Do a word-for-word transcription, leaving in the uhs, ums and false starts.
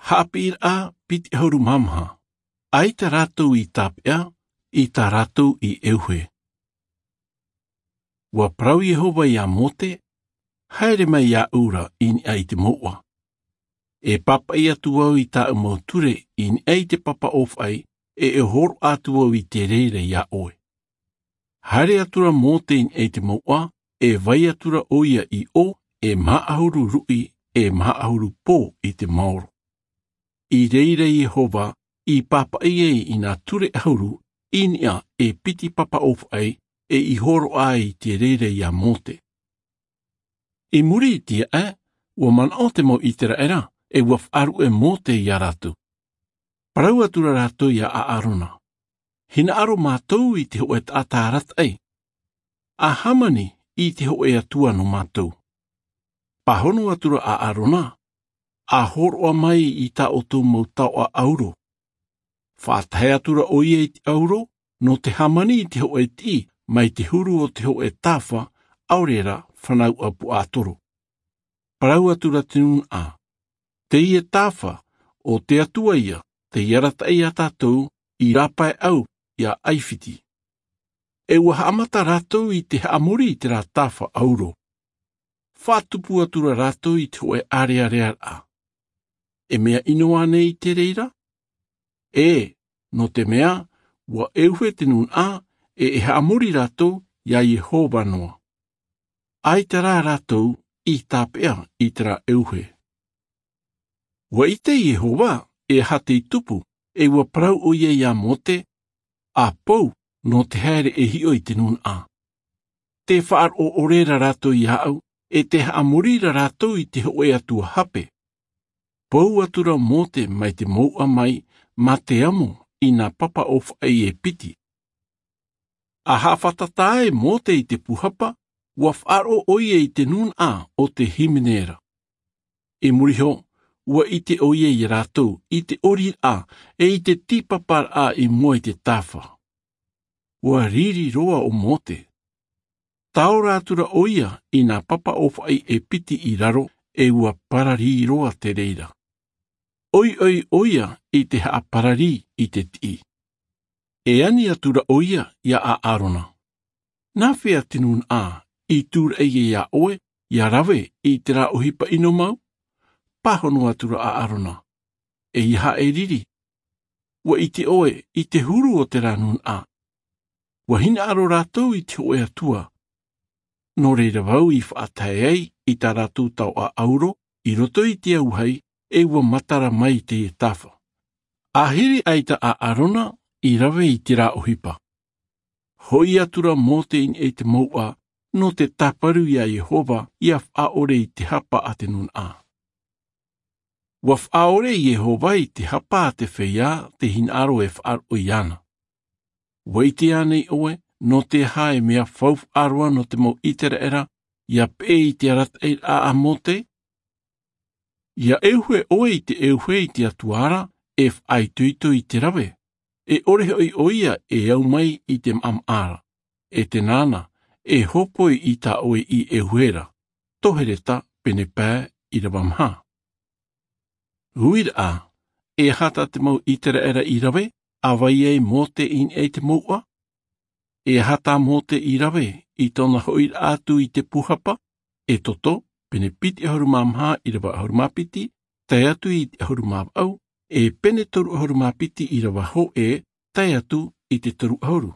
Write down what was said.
Haʻapiʻiraʻa piti ʻahuru mā maha. ʻAita rātou i tāpeʻa i tā rātou i ʻeuhe. Ua parau iehova iā mōte, haere mai iāʻu ra i niʻa i te mouʻa. E pāpaʻi atu au i tāʻu mau ture i niʻa i te papa ʻōfaʻi, e e hōroʻa atu au i te reira iā ʻoe. Haere atu ra mōte i niʻa i te mouʻa, e vai atu ra ʻo ia i ʻō, e maha ʻahuru ruʻi, e maha ʻahuru pō i te maoro. I reira iehova i pāpaʻi ai i nā ture ʻahuru i niʻa e piti papa ʻōfaʻi, e i hōroʻa ai i te reira iā mōte. I muri i te aʻe, ua manaʻo te mau ʻiseraela, e ua faʻaruʻe mōte iā rātou. Parau atu ra rātou iā ʻaʻarona, hinaʻaro mātou i te hoʻe taʻata arataʻi, a hāmani i te hoʻe atua nō mātou. Pāhono atu ra ʻaʻarona, a hōroʻa mai i tā ʻoutou mau taoʻa ʻauro. Faʻatahe atu ra ʻo ia i te ʻauro nō te hāmani i te hoʻe tiʻi mai te huru o te hoʻe tāfa, ʻaore ra fānau ʻapuʻatoro. Parau atu ra te nūnaʻa, teie tāfa o te atua ia tei arataʻi iā tātou i rāpaeʻau iā ʻaifiti. E ua haʻamata rātou i te haʻamori i terā tāfa ʻauro. Faʻatupu atu ra rātou i te hoʻe ʻareʻarearaʻa. E mea ʻino ānei i te reira? E, nō te mea ua ʻeuhe te nūnaʻa, e e haʻamori rātou iā iehova noa. ʻAita rā rātou i tāpeʻa i terā ʻeuhe. Ua ʻite iehova e aha tei tupu, e ua parau ʻo ia iā mōte, a pou nō te haere e hiʻo i te nūnaʻa. Te faʻaroʻo ʻore ra rātou iāʻu, e te haʻamori ra rātou i te hoʻe atua hape. Pou atu ra mōte mai te mouʻa mai, mā te amo i nā papa ʻōfaʻi e piti. A haʻafātata ai mōte i te pūhapa, ua faʻaroʻo ʻo ia i te nūnaʻa o te hīmene ra. I muri iho, ua ʻite ʻo ia iā rātou i te ʻoriraʻa, e i te tīpaparaʻa i mua i te tāfa. Ua riri roa ʻo mōte. Taora atu ra ʻo ia i nā papa ʻōfaʻi e piti i raro, e ua pararī roa te reira. ʻOiʻoi ʻo ia i te haʻapararī i te tiʻi. E ani atu ra ʻo ia iā ʻaʻarona, nā hea te nūnaʻa i tūraʻi iā ʻoe ia rave i terā ʻohipa ʻino mau? Pāhono atu ra ʻaʻarona, eiaha e riri. Ua ʻite ʻoe i te huru o terā nūnaʻa. Ua hinaʻaro rātou i te hoʻe atua. Nō reira vau i faʻatae ai i tā rātou taoʻa ʻauro i roto i te auahi, e ua matara mai teie tāfa. A hiri ʻaita ʻaʻarona i rave i terā ʻohipa. Hoʻi atu ra mōte i niʻa i te mouʻa nō te tāparu iā iehova ia faʻaʻore i te hapa a te nūnaʻa. Ua faʻaʻore iehova i te hapa a te feiā tei hinaʻaro e faʻaroʻo iāna. Ua ʻite ānei ʻoe nō te aha e mea faufaʻa roa nō te mau ʻiseraela ia peʻe i te arataʻiraʻa a mōte? Ia ʻeuhe ʻoe i te ʻeuhe i te atua ra, e faʻaitoito i te rave, e ʻore hoʻi ʻo ia e au mai i te maʻamaʻa ra, e te nāna e hopoi i tā ʻoe i ʻeuhe ra. Tohereta pene pae ʻirava maha. Uiraʻa, e aha tā te mau ʻiseraela i rave a vai ai mōte i niʻa i te mouʻa? E aha tā mōte i rave i tōna hoʻiraʻa atu i te pūhapa? Exodo pene piti ʻahuru mā maha ʻirava ʻahuru mā piti, tae atu i te ʻahuru mā vaʻu, e pene toru ʻahuru mā piti ʻirava hōʻē, tae atu i te toru ʻahuru.